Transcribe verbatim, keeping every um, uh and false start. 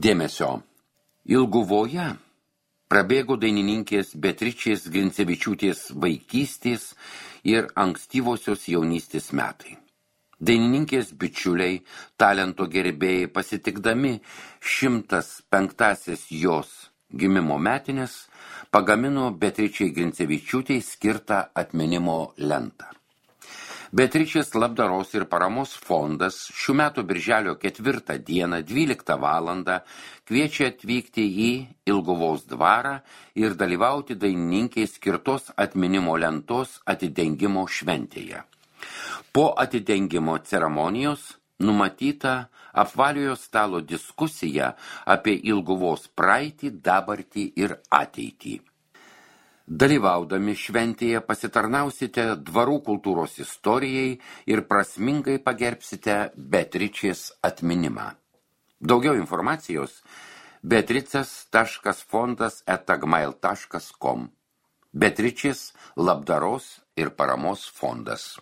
Dėmesio. Ilguvoje prabėgo dainininkės Beatričės Grincevičiūtės vaikystės ir ankstyvosios jaunystės metai. Dainininkės bičiuliai, talento gerbėjai pasitikdami šimtas penktąsias jos gimimo metinės, pagamino Beatričei Grincevičiūtei skirtą atminimo lentą. Beatričės labdaros ir paramos fondas šių metų birželio ketvirtą dieną dvyliktą valandą kviečia atvykti į Ilguvos dvarą ir dalyvauti dainininkei skirtos atminimo lentos atidengimo šventėje. Po atidengimo ceremonijos numatyta apvaliojo stalo diskusija apie Ilguvos praeitį, dabartį ir ateitį. Dalyvaudami šventėje pasitarnausite dvarų kultūros istorijai ir prasmingai pagerbsite Beatričės atminimą. Daugiau informacijos beatricas taškas fondas eta gmail taškas com. Beatričės labdaros ir paramos fondas.